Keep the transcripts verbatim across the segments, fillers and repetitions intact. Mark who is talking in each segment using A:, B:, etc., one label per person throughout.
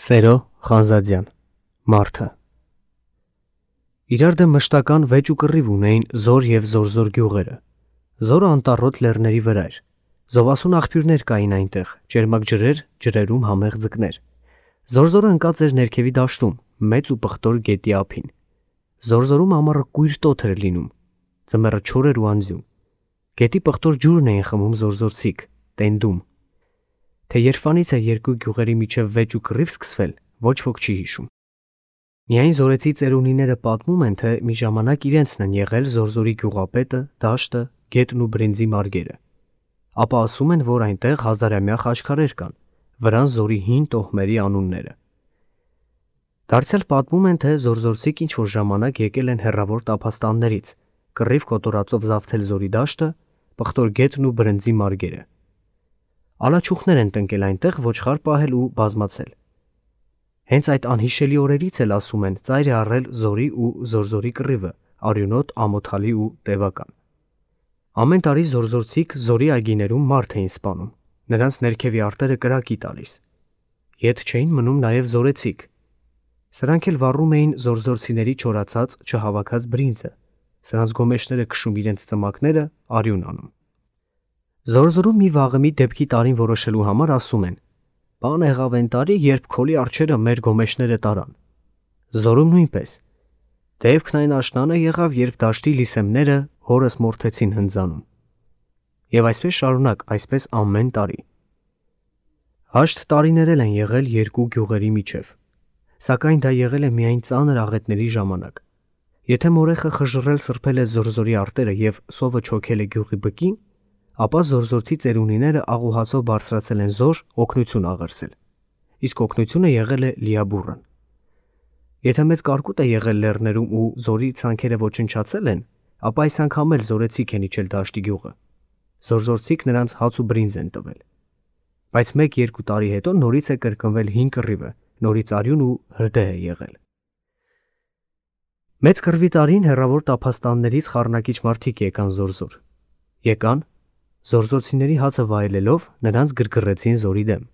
A: Սերո Խանզադյան, Մարդը։ Իրար դեմ մշտական վեճ ու կռիվ ունեին Զոր և Զորզոր գյուղերը։ Զորը անտառոտ լեռների վրա էր։ Զովասուն աղբյուրներ կային այնտեղ, ճերմակ ջրեր, ջրերում համեղ ձկներ։ Զորզորը ընկած էր ներքևի դաշտում, մեծ ու պղտոր գետի ափին։ Զորզորում ամառը կույր տոթ էր լինում, ձմեռը չոր էր ու անձյուն։ Գետի պղտոր ջուրն էին խմում զորզորցիք, տենդում։ Թե երբանից է երկու գյուղերի միջև վեճ ու կռիվ սկսվել, ոչ ոք չի հիշում։ Միայն զորեցի ծերունիները պատմում են, թե մի ժամանակ իրենցն են եղել Զորզորի գյուղապետը, դաշտը, գետն ու բրինձի մարգերը։ Ապա ասում են, որ այնտեղ հազարամյա խաչքարեր կան, վրան Զորի հին տոհմերի անունները։ Դարձյալ պատմում են, թե զորզորցիք ինչ-որ ժամանակ եկել են հեռավոր տափաստաններից, կռիվ կոտորածով զավթել Զորի դաշտը, պղտոր գետն ու բրինձի մարգերը։ Ալաչուխներ են տնկել այնտեղ ոչխար պահել ու բազմացել։ Հենց այդ անհիշելի օրերից էլ ասում են ծայր է առել Զորի ու Զորզորի կռիվը, արյունոտ, ամոթալի ու տևական։ Ամեն տարի զորզորցիք Զորի այգիներում մարդ էին սպանում, նրանց ներքևի արտերը կրակի տալիս։ Ետ չէին մնում նաև զորեցիք։ Սրանք էլ վառում էին զորզորցիների չորացած, չհավաքած բրինձը, սրանց գոմեշները քշում իրենց ծմակները, արյուն անում։ Զորզորում մի վաղեմի դեպքի տարին որոշելու համար ասում են. «Բան եղավ այն տարի, երբ քոլի արջերը մեր գոմեշները տարան»։ Զորում նույնպես։ Դեպքն այն աշնանը եղավ, երբ դաշտի լիսեմները հորս մորթեցին հնձանում։ Եվ այսպես շարունակ, այսպես ամեն տարի։ Հաշտ տարիներ են եղել երկու գյուղերի միջև, սակայն դա եղել է միայն ծանր աղետների ժամանակ։ Եթե մորեխը խժռել սրբել է Զորզորի արտերը և սովը չոքել է գյուղի բկին, ապա զորզորցի ծերունիները աղուհացով բարձրացել են Զոր օգնություն աղերսել, իսկ օգնությունը եղել է լիաբուռն։ Եթե մեծ կարկուտ է եղել լեռներում ու Զորի ցանքերը ոչնչացել են, ապա այս անգամ էլ զորեցիք են իջել դաշտի գյուղը։ Զորզորցիք նրանց հաց ու բրինձ են տվել։ Բայց մեկ-երկու տարի հետո նորից է կրկնվել հին կռիվը, նորից արյուն ու հրդեհ է եղել։ Մեծ կռվի տարին հեռավոր տափաստաններից խառնակիչ մարդիկ եկան Զորզոր։ Եկան, զորզորցիների հացը վայելելով նրանց գրգռեցին Զորի դեմ։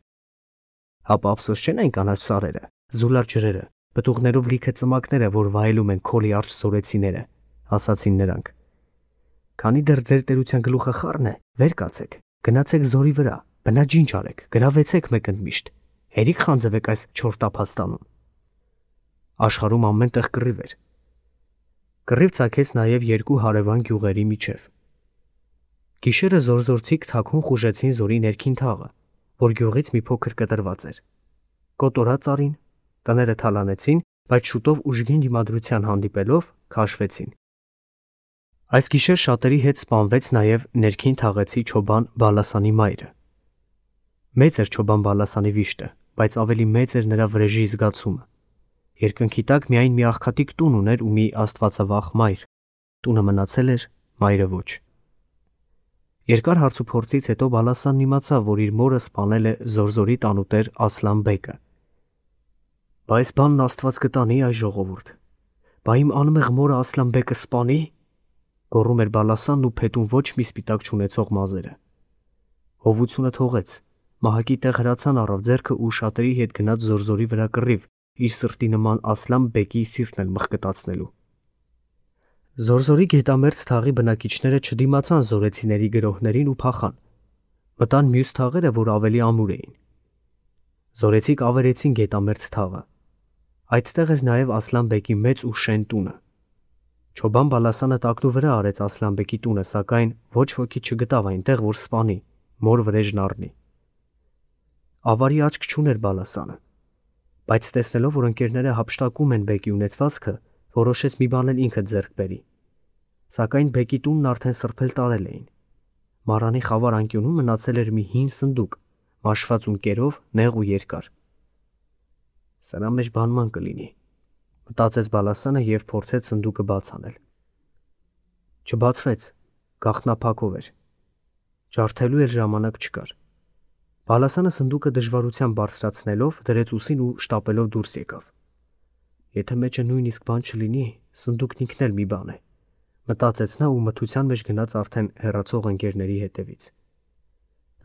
A: Հապա ափսոս չեն այն կանաչ սարերը, զուլար ջրերը, պտուղներով լիքը ծմակները, որ վայելում են քոլի արջ զորեցիները, ասացին նրանք։ Քանի դեռ ձեր տերության գլուխը խառն է, վեր կացեք, գնացեք Զորի վրա, բնաջինջ արեք, գրավեցեք մեկ ընդմիշտ, հերիք խանձվեք այս չոր տափաստանում։ Աշխարհում ամենտեղ կռիվ էր։ Կռիվ ցակեց նաև երկու հարևան գյուղերի միջև։ Գիշերը զորզորցիք թաքուն խուժեցին Զորի ներքին թաղը, որ գյուղից մի փոքր կտրված էր։ Կոտորած արին, տները թալանեցին, բայց շուտով ուժգին դիմադրության հանդիպելով քաշվեցին։ Այս գիշեր շատերի հետ սպանվեց նաև ներքին թաղեցի Չոբան Բալասանի մայրը։ Մեծ էր Չոբան Բալասանի վիշտը, բայց ավելի մեծ էր նրա վրեժի զգացումը։ Երկնքի տակ միայն մի աղքատիկ տուն ուներ ու մի աստվածավախ մայր։ Տունը մնացել էր, մայրը ոչ։ Երկար հարցուփորձից հետո Բալասանն իմացավ, որ իր մորը սպանել է Զորզորի տանուտեր Ասլան բեկը։ Բա այս բանն Աստված կտանի, այ ժողովուրդ։ Բա իմ անմեղ մորը Ասլան բեկը սպանի, գոռում էր Բալասանն ու փետուն ոչ մի սպիտակ չունեցող մազերը։ Հովությունը թողեց, մահակի տեղ հրացան առավ ձեռքը ու շատերի հետ գնաց Զորզորի վրա կռիվ, իր սրտի նման Ասլան բեկի սիրտն էլ մղկտացնելու։ Զորզորի գետամերձ թաղի բնակիչները չդիմացան զորեցիների գրոհներին ու փախան։ Մտան մյուս թաղերը, որ ավելի ամուր էին։ Զորեցիք ավերեցին գետամերձ թաղը։ Այդտեղ էր նաև Ասլան բեկի մեծ ու շեն տունը։ Չոբան Բալասանը տակնու վրա արեց Ասլան բեկի տունը, սակայն ոչ ոքի չգտավ այնտեղ, որ սպանի, մոր վրեժն առնի։ Ավարի աչք չուներ Բալասանը, բայց տեսնելով, որ ընկերները հափշտակում են բեկի ունեցվածքը, որոշեց մի բան էլ ինքը ձեռք բերի։ Սակայն բեկի տունն արդեն սրբել տարել էին։ Մառանի խավար անկյունում մնացել էր մի հին սնդուկ, մաշված ունկերով, նեղ ու երկար։ Սրա մեջ բանման կլինի, մտածեց Բալասանը և փորձեց սնդուկը բաց անել։ Չբացվեց, գաղտնափակով էր։ Ջարդելու էլ ժամանակ չկար։ Բալասանը սնդուկը դժվարությամբ բարձրացնելով դրեց ուսին ու շտապելով դուրս եկավ։ Եթե մեջը նույնիսկ բան չլինի, սնդուկն ինքն էլ մի բան է, մտածեց նա ու մթության մեջ գնաց արդեն հեռացող ընկերների հետևից։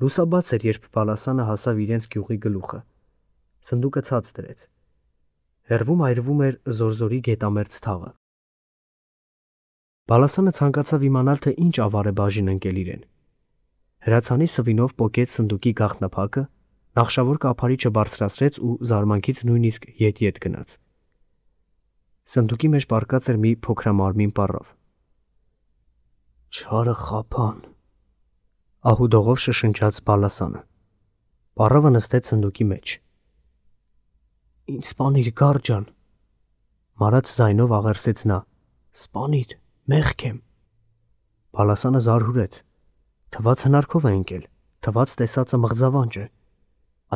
A: Լուսաբաց էր, երբ Բալասանը հասավ իրենց գյուղի գլուխը։ Սնդուկը ցած դրեց։ Հեռվում այրվում էր զորզորի գետամերձ թաղը։ Բալասանը ցանկացավ իմանալ, թե ինչ ավար է բաժին ընկել իրեն։ Հրացանի սվինով պոկեց սնդուկի գաղտնափակը, նախշավոր կափարիչը բարձրացրեց ու զարմանքից նույնիսկ ետ-ետ գնաց։ Սնդուկի մեջ պառկած էր մի փոքրամարմին պառավ։ Չարը խափան, ահուդողով շշնջաց Բալասանը։ Պառավը նստեց սնդուկի մեջ։ Ինչ սպանիր, գարջան, մարած ձայնով աղերսեց նա։ Սպանիր, մեղք եմ։ Բալասանը զարհուրեց։ Թված հնարքով է ընկել, թված տեսածը մղձավանջ է։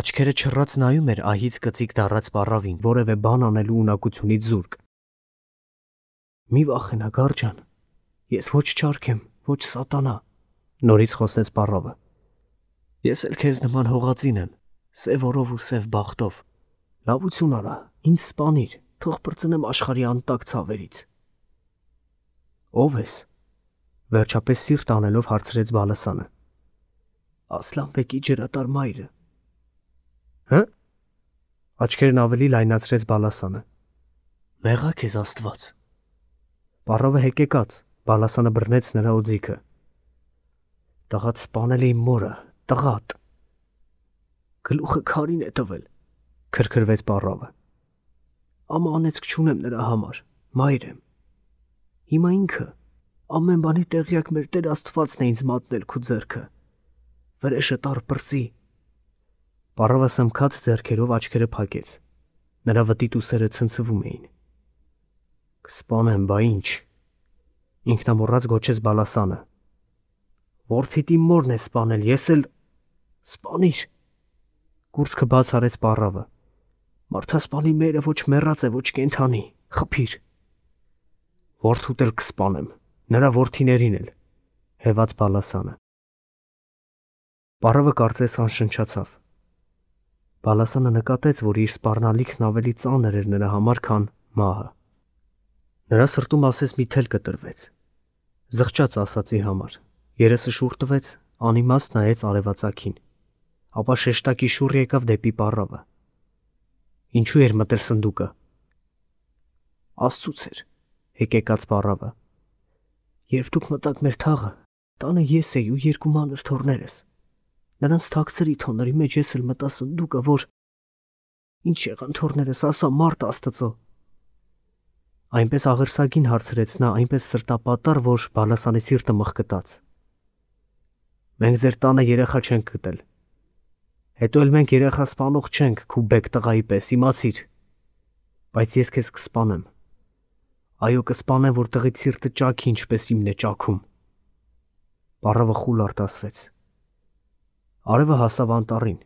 A: Աչքերը չռած նայում էր ահից կծիկ դառած պառավին, որևէ բան անելու ունակությունից զուրկ։ Մի վախենա, գարջան, ես ոչ չարք եմ, ոչ սատանա, նորից խոսեց պառավը։ Ես էլ քեզ նման հողածին եմ, սև օրով ու սև բախտով։ Լավություն արա, ինձ սպանիր, թող պրծնեմ աշխարհի անտակ ցավերից։ Ո՞վ ես, վերջապես սիրտ անելով հարցրեց Բալասանը։ Ասլանբեկի ջրատար մայրը։ Հը՞։ Աչքերն ավելի լայնացրեց Բալասանը։ Մեղա քեզ Աստված։ Պառավը հեկեկաց, Բալասանը բռնեց նրա օձիքը։ Տղադ սպանել է իմ մորը, տղադ։ Գլուխը քարին է տվել, քրքրվեց պառավը։ Ամա անեցք չունեմ նրա համար, մայր եմ։ Հիմա ինքը ամեն բանի տեղյակ մեր Տեր Աստվածն է ինձ մատնել քու ձեռքը։ Վրեժը տար պրծի։ Պառավը սմքած ձեռքերով աչքերը փակեց։ Նրա վտիտ ուսերը ցնցվում էին։ Կսպանեմ, բա ինչ։ Ինքնամոռաց գոչեց Բալասանը։ Որդիդ իմ մորն է սպանել, ես էլ սպանիր։ Կուրծքը բաց արեց պառավը։ Մարդասպանի մերը ոչ մեռած է, ոչ կենդանի, խփիր։ Որդուդ էլ կսպանեմ, նրա որդիներին էլ, հեված Բալասանը։ Պառավը կարծես անշնչացավ։ Բալասանը նկատեց, որ իր սպառնալիքն ավելի ծանր էր նրա համար, քան մահը։ Նրա սրտում ասես մի թել կտրվեց։ Զղջաց ասացի համար, երեսը շուռ տվեց, անիմաստ նայեց արևածագին, ապա շեշտակի շուռ եկավ դեպի պառավը։ Ինչու էր մտել սնդուկը։ Աստծուց էր, հեկեկաց պառավը։ Երբ դուք մտաք մեր թաղը, տանը ես էի ու երկու մանր թոռներս։ Նրանց թաքցրի թոների մեջ ես էլ մտա սնդուկը, որ ինչ եղան թոռներս, ասա մարդ Աստծո։ Այնպես աղերսագին հարցրեց նա, այնպես սրտապատառ, որ Բալասանի սիրտը մխկտաց։ Մենք ձեր տանը երեխա չենք գտել։ Հետո էլ մենք երեխա սպանող չենք, քու բեկ տղայի պես, իմացիր։ Բայց ես քեզ կսպանեմ։ Այո, կսպանեմ, որ տղիդ սիրտը ճաքի, ինչպես իմն է ճաքում։ Պառավը խուլ արտասվեց։ Արևը հասավ անտառին։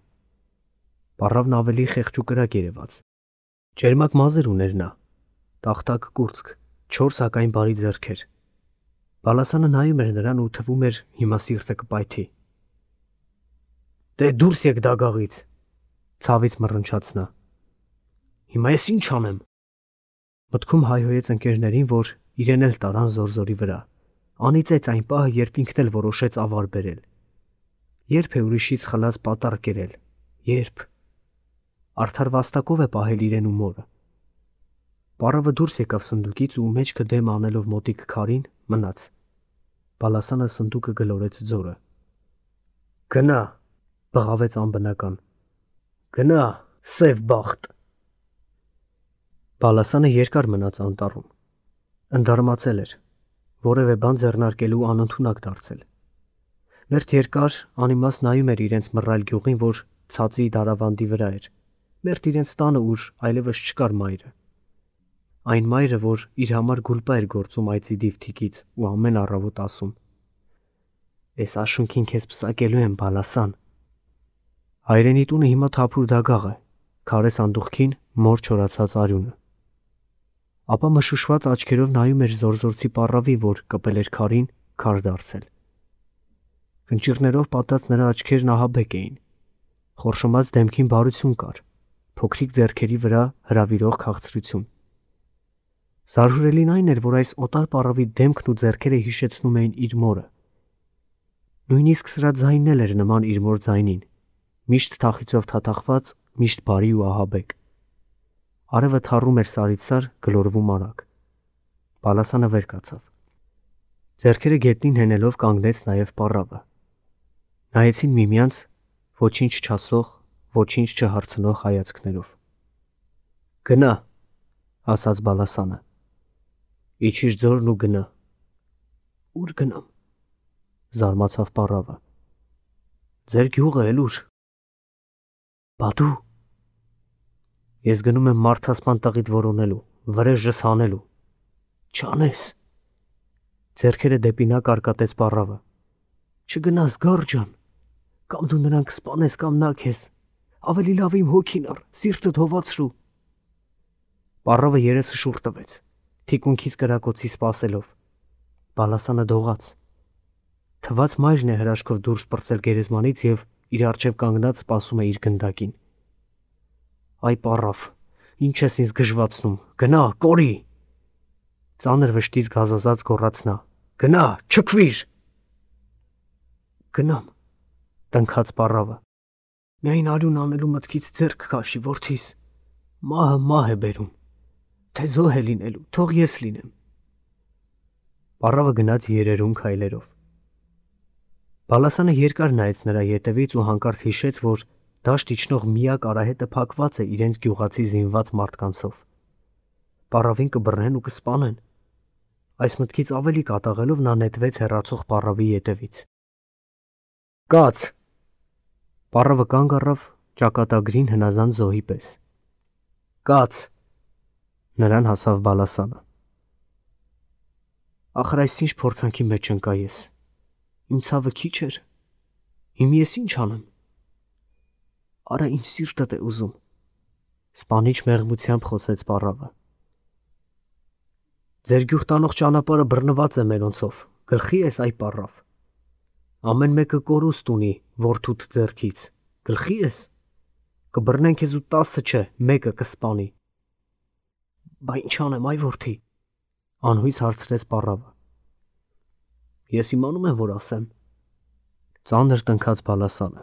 A: Պառավն ավելի խեղճուկրակ երևաց։ Ջերմակ մազեր ուներ նա, տախտակ կուրծք, չորս հակային բարի ձեռքեր։ Բալասանը նայում էր նրան ու թվում էր հիմա սիրտը կպայթի։ Դե դուրս եկ դագաղից, ցավից մռնչաց նա։ Հիմա ես ինչ անեմ։ Մտքում հայհոյեց ընկերներին, որ իրեն էլ տարան զորզորի վրա։ Անիծեց այն պահը, երբ ինքն էլ որոշեց ավար բերել։ Երբ է ուրիշից խլած պատառ կերել, երբ արդար վաստակով է պահել իրեն ու մորը։ Պառավը դուրս եկավ սնդուկից ու մեջքը դեմ անելով մոտիկ քարին մնաց։ Բալասանը սնդուկը գլորեց ձորը։ Գնա, բղավեց անբնական։ Գնա, սև բախտ։ Բալասանը երկար մնաց անտառում։ Ընդարմացել էր, որևէ բան ձեռնարկելու անընդունակ դարձել։ Մերթ երկար անիմաստ նայում էր իրենց մռայլ գյուղին, որ ցածի դարավանդի վրա էր։ Մերթ իրենց տանը, ուր այլևս չկար մայրը։ Այն մայրը, որ իր համար գուլպա էր գործում այծի դիվթիկից ու ամեն առավոտ ասում. Էս աշունքին քեզ պսակելու եմ, Բալասան։ Հայրենի տունը հիմա թափուր դագաղ է, քարե սանդուղքին մոր չորացած արյունը։ Ապա մշուշված աչքերով նայում էր զորզորցի պառավի, որ կպել էր քարին, քար դարձել։ Կնճիռներով պատած նրա աչքերն ահաբեկ էին։ Խորշոմած դեմքին բարություն կար, փոքրիկ ձեռքերի վրա հրավիրող քաղցրություն։ Զարհուրելին այն էր, որ այս օտար պառավի դեմքն ու ձեռքերը հիշեցնում էին իր մորը։ Նույնիսկ սրա ձայնն էլ էր նման իր մոր ձայնին, միշտ թախիծով թաթախված միշտ բարի ու ահաբեկ։ Արևը թառում էր սարից սար, գլորվում արագ։ Բալասանը վեր կացավ։ Ձեռքերը գետնին հենելով կանգնեց նաև պառավը։ Նայեցին միմյանց ոչինչ չասող, ոչինչ չհարցնող հայացքներով։ Գնա, ասաց Բալասանը։ Իջիր ձորն ու գնա։ Ուր գնամ, զարմացավ պառավը։ Ձեր գյուղը էլ ուր։ Բա դու։ Ես գնում եմ մարդասպան տղիդ որոնելու, վրեժս հանելու։ Չանես։ Ձեռքերը դեպի նա կարկատեց պառավը։ Չգնաս, գորջան, կամ դու նրան կսպանես, կամ նա քեզ։ Ավելի լավ իմ հոգին առ, սիրտդ հովացրու։ Պառավը երեսը շուռ տվեց, թիկունքից կրակոցի սպասելով։ Բալասանը դողաց։ Թված մայրն է հրաշքով դուրս պրծել գերեզմանից և իր առջև կանգնած սպասում է իր գնդակին։ Այ պառավ, ինչ ես ինձ գժվացնում, գնա, կորի։ Ծանր վշտից գազազած գոռաց նա։ Գնա, չքվիր։ Գնամ, տնքաց պառավը։ Միայն արյուն անելու մտքից ձեռք քաշի, որդիս։ Մահը մահ է բերում։ Թե զոհ է լինելու, թող ես լինեմ։ Պառավը գնաց երերուն քայլերով։ Բալասանը երկար նայեց նրա ետևից ու հանկարծ հիշեց, որ դաշտ իջնող միակ արահետը փակված է իրենց գյուղացի զինված մարդկանցով։ Պառավին կբռնեն ու կսպանեն։ Այս մտքից ավելի կատաղելով նա նետվեց հեռացող պառավի ետևից։ Կաց։ Պառավը կանգ առավ ճակատագրին հնազանդ զոհի պես։ Կաց։ Նրան հասավ Բալասանը։ Ախր այս ինչ փորձանքի մեջ ընկա ես։ Իմ ցավը քիչ էր։ Հիմա ես ինչ անեմ։ Արա իմ սիրտդ է ուզում։ Սպանիչ մեղմությամբ խոսեց պառավը։ Ձեր գյուղ տանող ճանապարհը բռնված է մերոնցով, գլխի ես այ պառավ։ Ամեն մեկը կորուստ ունի որդուդ ձեռքից, գլխի ես։ Կբռնեն քեզ ու տասը չէ, մեկը կսպանի։ Բա ինչ անեմ այ որդի, անհույս հարցրեց պառավը։ Ես իմանում եմ, որ ասեմ։ Ծանր տնքաց Բալասանը։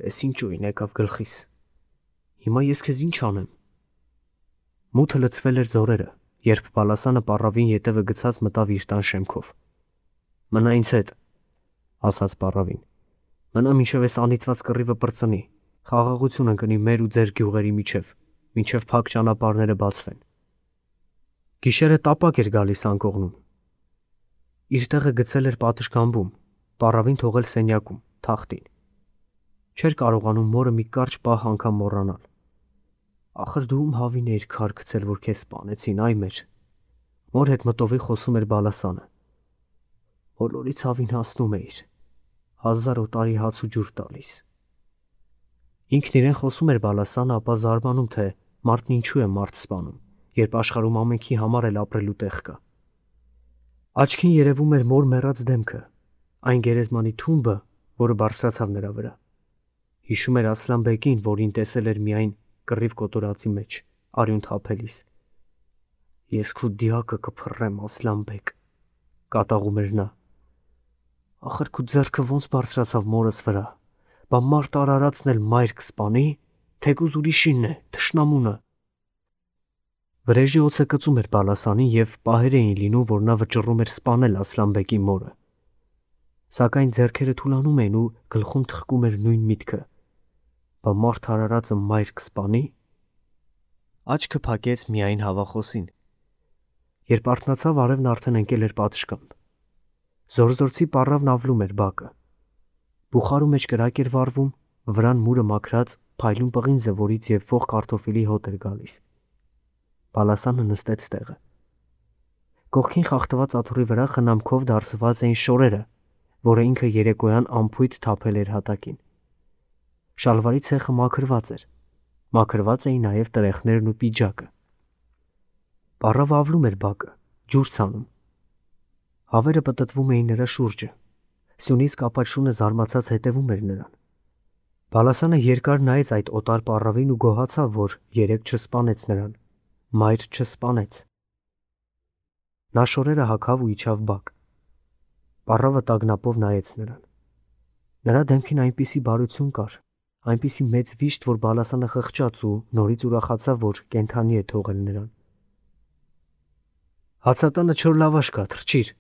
A: Էս ինչ ուին եկավ գլխիս։ Հիմա ես քեզ ինչ անեմ։ Մութը լցվել էր ձորերը, երբ Բալասանը պառավին ետևը գցած մտավ իր տան շեմքով։ Մնա ինձ հետ, ասաց պառավին։ Մնա մինչև այս անիծված կռիվը պրծնի, խաղաղություն ընկնի մեր ու ձեր գյուղերի միջև, մինչև փակ ճանապարհները բացվեն։ Գիշերը տապակ էր գալիս անկողնում։ Իր տեղը գցել էր պատշգամբում, պառավին թողել սենյակում, թախտին։ Չէր կարողանում մորը մի կարճ պահ անգամ մոռանալ։ Ախր դու ում հավին էիր քար գցել, որ քեզ սպանեցին, այ մեր։ Մոր հետ մտովի խոսում էր Բալասանը։ Բոլորի ցավին հասնում էիր։ Հազար օտարի հաց ու ջուր տալիս։ Ինքն իրեն խոսում էր Բալասանը, ապա զարմանում, թե մարդն ինչու է մարդ սպանում, երբ աշխարհում ամենքի համար էլ ապրելու տեղ կա։ Աչքին երևում էր մոր մեռած դեմքը, այն գերեզմանի թումբը, որը բարձրացավ նրա վրա։ Հիշում էր Ասլանբեկին, որին տեսել էր միայն կռիվ կոտորածի մեջ, արյուն թափելիս։ Ես քո դիակը կփռեմ, Ասլանբեկ, կատաղում էր նա։ Ախր քո ձեռքը ոնց բարձրացավ մորս վրա, բա մարդ արարածն էլ մայր կսպանի, թեկուզ ուրիշինն է, թշնամունը։ Վրեժի օծը կծում էր Բալասանին և պահեր էին լինում, որ նա վճռում էր սպանել Ասլանբեկի մորը։ Սակայն ձեռքերը թուլանում էին ու գլխում թխկում էր նույն միտքը։ Բա մարդ արարածը մայր կսպանի։ Աչքը փակեց միայն հավախոսին։ Երբ արթնացավ, արևն արդեն ընկել էր պատշգամբ։ Զորզորցի պառավն ավլում էր բակը։ Բուխարու մեջ կրակ էր վառվում, վրան մուրը մաքրած փայլուն պղինձը, որից և ող կարտոֆիլի հոտ էր գալիս։ Բալասանը նստեց տեղը։ Կողքին խախտված աթոռի վրա խնամքով դարսված էին շորերը, որը ինքը երեկոյան ամփույթ թափել էր հատակին։ Շալվարի ցեխը մաքրված էր։ Մաքրված էին նաև տրեխներն ու պիջակը։ Պառավը ավլում էր բակը, ջուր ցանում։ Հավերը պտտվում էին նրա շուրջը։ Սյունից կապած շունը զարմացած հետևում էր նրան։ Բալասանը երկար նայեց այդ օտար պառավին ու գոհացավ, որ երեկ չսպանեց նրան, մայր չսպանեց։ Նա շորերը հագավ ու իջավ բակ։ Պառավը տագնապով նայեց նրան։ Նրա դեմքին այնպիսի բարություն կար, այնպիսի մեծ վիշտ, որ Բալասանը խղճաց ու նորից ուրախացավ, որ կենդանի է թողել նրան։ Հացատանը չոր լավաշ կա, թրջիր,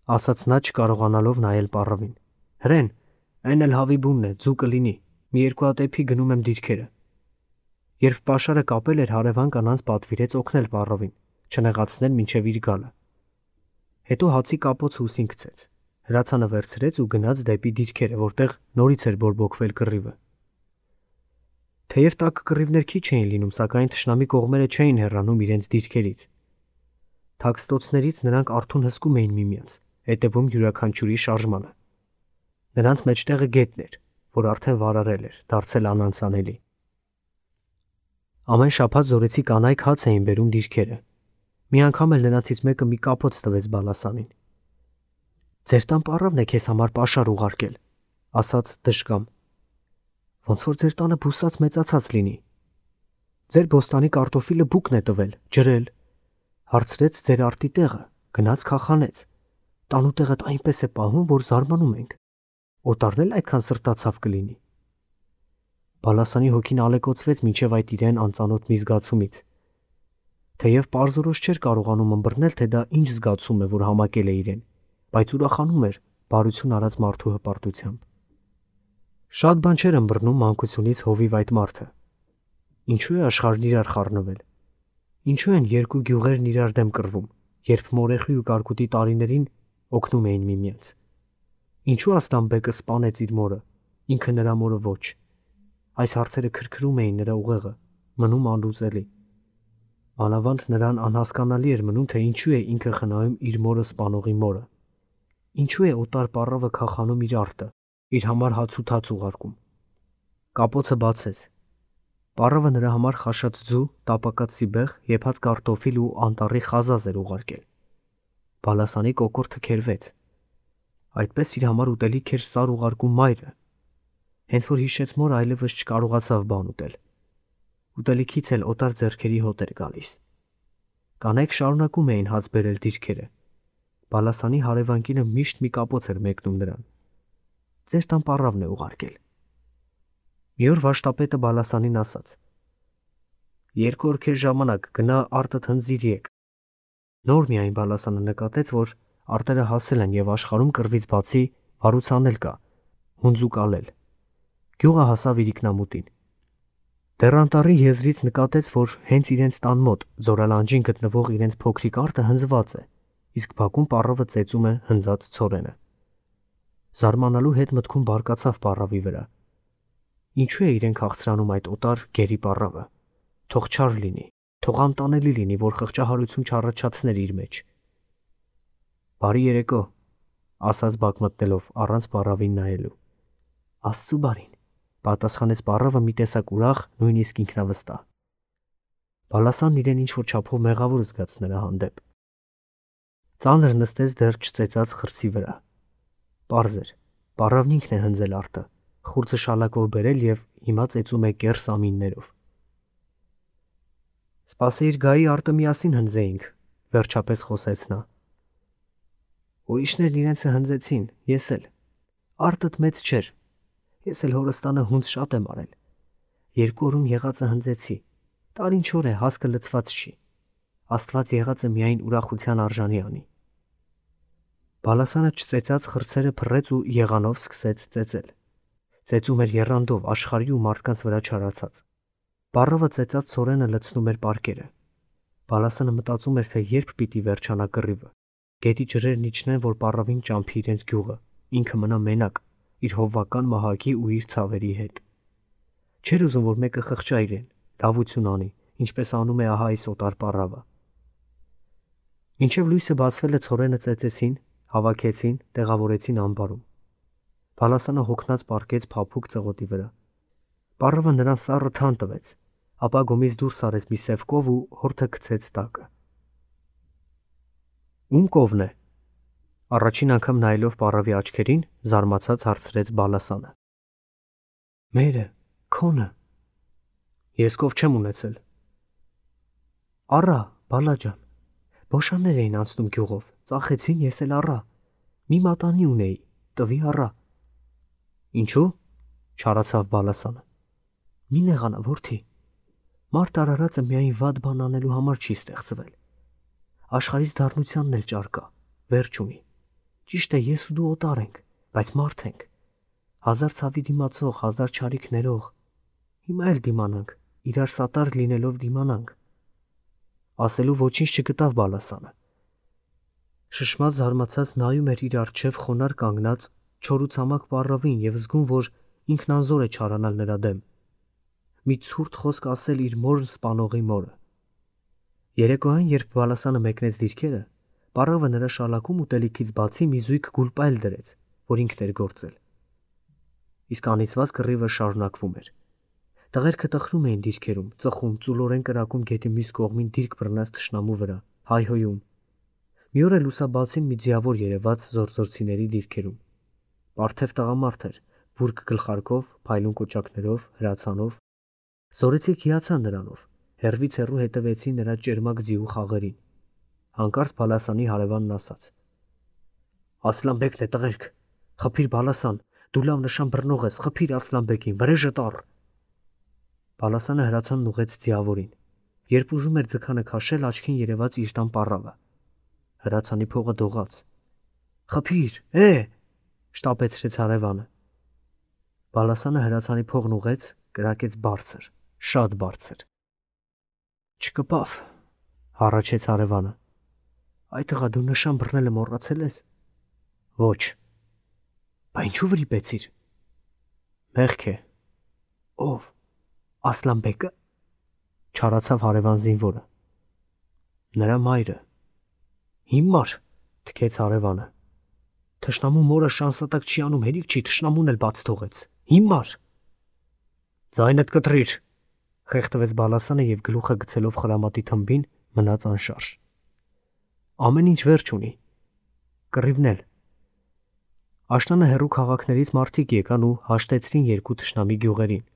A: ասաց նա չկարողանալով նայել պառավին։ Հրեն, այն էլ հավի բունն է, ձու կլինի, մի երկու հատ էփի գնում եմ դիրքերը։ Երբ պաշարը կապել էր, հարևան կանանց պատվիրեց օգնել պառավին, չնեղացնել մինչև իր գալը։ Հետո հացի կապոց հուսին գցեց, հրացանը վերցրեց ու գնաց դեպի դիրքերը, որտեղ նորից էր բորբոքվել կռիվը։ Թեև տաք կռիվներ քիչ էին լինում, սակայն թշնամի կողմերը չէին հեռանում իրենց դիրքերից։ Թաքստոցներից նրանք արթուն հսկում էին միմյանց, հետևում յուրաքանչյուրի շարժմանը։ Նրանց մեջտեղը գետն էր, որ արդեն վարարել էր, դարձել անանցանելի։ Ամեն շաբաթ զորեցի կանայք հաց էին բերում դիրքերը։ Մի անգամ էլ նրանցից մեկը մի կապոց տվեց Բալասանին։ Ձեր տան պառավն է քեզ համար պաշար ուղարկել, ասաց դժկամ։ Ոնց որ ձեր տանը բուսած մեծացած լինի։ Ձեր բոստանի կարտոֆիլը բուկն է տվել, ջրել, հարցրեց ձեր արտի տեղը, գնաց քախանեց։ Տանու տեղդ այնպես է պահում, որ զարմանում ենք։ Օտարն էլ այդքան սրտացավ կլինի։ Բալասանի հոգին ալեկոծվեց մինչև այդ իրեն անծանոթ մի զգացումից։ Թեև պարզորոշ չէր կարողանում ըմբռնել, թե դա ինչ զգացում է, որ համակել է իրեն, բայց ուրախանում էր բարություն արած մարդու հպարտությամբ։ Շատ բան չէր ըմբռնում մանկությունից հովիվ այդ մարդը։ Ինչու է աշխարհն իրար խառնվել։ Ինչու են երկու գյուղերն իրար դեմ կռվում, երբ մորեխի ու կարկուտի տարիներին օգնում էին միմյանց։ Ինչու Ասլանբեկը սպանեց իր մորը, ինքը նրա մորը ոչ։ Այս հարցերը քրքրում էին նրա ուղեղը, մնում անլուծելի։ Մանավանդ նրան անհասկանալի էր մնում, թե ինչու է ինքը խնայում իր մորը սպանողի մորը։ Ինչու է օտար պառավը քախանում իր արտը, իր համար հաց ու թաց ուղարկում։ Կապոցը բացեց։ Պառավը նրա համար խաշած ձու, տապակած սիբեղ, եփած կարտոֆիլ ու անտառի խազազ էր ուղարկել։ Բալասանի կոկորդը քերվեց։ Այդպես իր համար ուտելիք էր սար ուղարկում մայրը։ Հենց որ հիշեց մոր, այլևս չկարողացավ բան ուտել։ Ուտելիքից էլ օտար ձեռքերի հոտ էր գալիս։ Կանայք շարունակում էին հաց բերել դիրքերը։ Բալասանի հարևանկինը միշտ մի կապոց էր մեկնում նրան։ Ձեր տան պառավն է ուղարկել։ Մի օր վաշտապետը Բալասանին ասաց. Երկու օր քեզ ժամանակ գնա արտդ հնձիր եկ։ Նոր միայն Բալասանը նկատեց, որ արտերը հասել են եւ աշխարհում կռվից բացի վարուցան էլ կա, հունձուկալել։ Գյուղը հասավ իրիկնամուտին։ Դեռ անտառի եզրից նկատեց, որ հենց իրենց տան մոտ զորալանջին գտնվող իրենց փոքրիկ արտը հնձված է, իսկ բակում պառավը ծեծում է հնձած ցորենը։ Զարմանալու հետ մտքում բարկացավ պառավի վրա։ Ինչու է իրեն քաղցրանում այդ օտար գերի պառավը։ Թող չար լինի, թող անտանելի լինի, որ խղճահարություն չառաջացներ իր մեջ։ Բարի երեկո, ասաց բակ մտնելով առանց պառավին նայելու։ Աստծու բարին, պատասխանեց պառավը մի տեսակ ուրախ, նույնիսկ ինքնավստահ։ Բալասանն իրեն ինչ-որ չափով մեղավոր զգաց նրա հանդեպ։ Ծանր նստեց դեռ չծեծած խրցի վրա։ Պարզ էր, պառավն ինքն է հնձել արտը, խուրձը շալակով բերել եւ հիմա ծեծում է կեռ սամիններով։ Սպասեիր գայի արտը միասին հնձեինք, վերջապես խոսեց նա։ Ուրիշներն իրենցը հնձեցին, ես էլ։ Արտդ մեծ չէր։ Ես էլ հորստանը հունձ շատ եմ արել։ Երկու օրում եղածը հնձեցի։ Տարին չոր է, հասկը լցված չի։ Աստված եղածը միայն ուրախության արժանի անի։ Բալասանը չծեծած խրցերը փռեց ու եղանով սկսեց ծեծել։ Ծեծում էր եռանդով, աշխարհի ու մարդկանց վրա չարացած։ Պառավը ծեծած ցորենը լցնում էր պարկերը։ Բալասանը մտածում էր, թե երբ պիտի վերջանա կռիվը։ Գետի ջրերն իջնեն, որ պառավին ճամփի իրենց գյուղը, ինքը մնա մենակ, իր հովվական մահակի ու իր ցավերի հետ։ Չէր ուզում, որ մեկը խղճա իրեն, լավություն անի, ինչպես անում է ահա այս օտար պառավը։ Մինչև լույսը բացվել է, ցորենը ծեծեցին, հավաքեցին, տեղավորեցին ամբարում։ Բալասանը հոգնած պառկեց փափուկ ծղոտի վրա։ Պառավը նրան սառը թան տվեց, ապա գոմից դուրս արեց մի սև կով ու հորթը գցեց տակը։ Ում կովն է։ Առաջին անգամ նայելով պառավի աչքերին, զարմացած հարցրեց Բալասանը։ Մերը, քոնը։ Ես կով չեմ ունեցել։ Առա, Բալաջան։ Բոշաններ էին անցնում գյուղով, ծախեցին, ես էլ առա։ Մի մատանի ունեի, տվի առա։ Ինչու՞։ Չարացավ Բալասանը։ Մի նեղանա, որդի։ Մարդ արարածը միայն վատ բան անելու համար չի ստեղծվել։ Աշխարհից դառնությանն էլ ճար կա, վերջ ունի։ Ճիշտ է, ես ու դու օտար ենք, բայց մարդ ենք։ Հազար ցավի դիմացող, հազար չարիք ներող։ Հիմա էլ դիմանանք, իրար սատար լինելով դիմանանք։ Ասելու ոչինչ չգտավ Բալասանը։ Շշմած զարմացած նայում էր իր առջև խոնար կանգնած չորուցամակ պառավին և զգում, որ ինքն անզոր է չարանալ նրա դեմ։ Մի ցուրտ խոսք ասել իր մորն սպանողի մորը։ Երեկոյան, երբ Բալասանը մեկնեց դիրքերը, պառավը նրա շալակում ուտելիքից բացի մի զույգ գուլպայել դրեց, որ ինքն էր գործել։ Իսկ անիծված կռիվը շարունակվում էր։ Տղերքը տխրում էին դիրքերում, ծխում, ծուլորեն կրակում գետի մյուս կողմին դիրք բռնած թշնամու վրա, հայհոյում։ Մի օր էլ լուսաբացին մի ձիավոր երևաց զորզորցիների դիրքերում։ Պարթև տղամարդ էր, բուրգ գլխարկով, փայլուն կոճակներով, հրացանով։ Զորեցիք հիացան նրանով, հեռվից հեռու հետևեցին նրա ճերմակ ձիու խաղերին։ Հանկարծ Բալասանի հարևանն ասաց. Ասլանբեկն է, տղերք, խփիր Բալասան, դու լավ նշան բռնող ես, խփիր Ասլանբեկին, վրեժը տառ։ Բալասանը հրացանն ուղեց ձիավորին։ Երբ ուզում էր ձգանը քաշել, աչքին երևաց իր տան պառավը։ Հրացանի փողը դողաց։ Խփիր, է, շտապեցրեց հարևանը։ Բալասանը հրացանի փողն ուղեց, կրակեց բարձր, շատ բարձր։ Չկպավ, հառաչեց հարևանը։ Այ տղա, դու նշան բռնելը մոռացել ես։ Ոչ։ Բա ինչու վրիպեցիր։ Մեղք է։ Ով։ Ասլանբեկը։ Չարացավ հարևան զինվորը։ Նրա մայրը։ Հիմար, թքեց հարևանը։ Թշնամու մորը շանսատակ չի անում, հերիք չի, թշնամուն էլ բաց թողեց։ Հիմար։ Ձայնդ կտրիր, խեղդվեց Բալասանը և գլուխը գցելով խրամատի թմբին մնաց անշարժ։ Ամեն ինչ վերջ ունի։ Կռիվն էլ։ Աշնանը հեռու քաղաքներից մարդիկ եկան ու հաշտեցրին երկու թշնամի գյուղերին։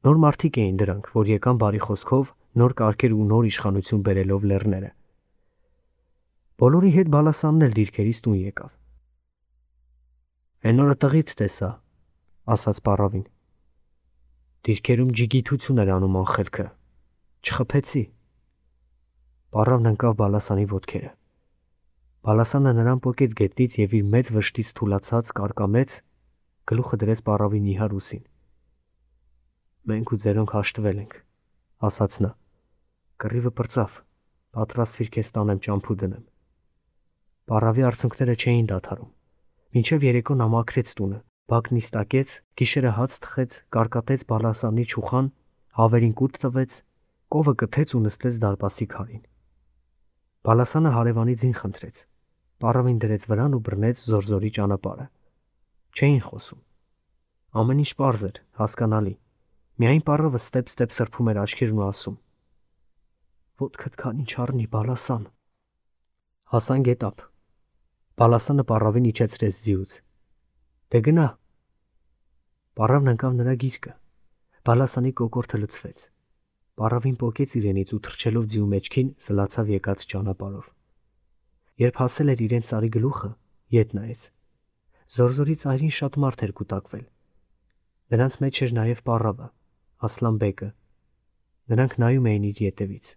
A: Նոր մարդիկ էին դրանք, որ եկան բարի խոսքով, նոր կարգեր ու նոր իշխանություն բերելով լեռները։ Բոլորի հետ Բալասանն էլ դիրքերից տուն եկավ։ Էն օրը տղիդ տեսա, ասաց պառավին։ Դիրքերում ջիգիթություն էր անում անխելքը։ Չխփեցի։ Պառավն ընկավ Բալասանի ոտքերը։ Բալասանը նրան պոկեց գետնից և իր մեծ վշտից թուլացած կարկամեց, գլուխը դրեց պառավի նիհար ուսին։ Մենք ու ձերոնք հաշտվել ենք, ասաց նա։ Կռիվը պրծավ, պատրաստվիր քեզ տանեմ ճամփու դնեմ։ Պառավի արցունքները չէին դադարում։ Մինչև երեկո նա մաքրեց տունը, բակ նիստակեց, գիշերը հաց թխեց, կարկատեց Բալասանի չուխան, հավերին կուտ տվեց, կովը կթեց ու նստեց դարպասի քարին։ Բալասանը հարևանի ձին խնդրեց։ Պառավին դրեց վրան ու բռնեց զորզորի ճանապարհը։ Չէին խոսում։ Ամեն ինչ պարզ էր, հասկանալի։ Միայն պառավը ստեպ-ստեպ սրբում էր աչքերն ու ասում. Ոտքդ քանի չառնի, Բալասան։ Հասան գետափ։ Բալասանը պառավին իջեցրեց ձիուց։ Դե գնա։ Պառավն ընկավ նրա գիրկը։ Բալասանի կոկորդը լցվեց։ Պառավին պոկեց իրենից ու թռչելով ձիու մեջքին սլացավ եկած ճանապարհով։ Երբ հասել էր իրեն սարի գլուխը, ետ նայեց։ Զորզորի ծայրին շատ մարդ էր կուտակվել։ Նրանց մեջ էր նաև պառավը, Ասլանբեկը։ Նրանք նայում էին իր ետևից։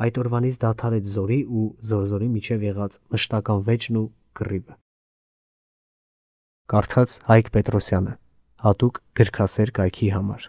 A: Այդ օրվանից դադարեց զորի ու զորզորի միջև եղած մշտական վեճն ու կռիվը։ Կարդաց Հայկ Պետրոսյանը, հատուկ գրքասեր կայքի համար։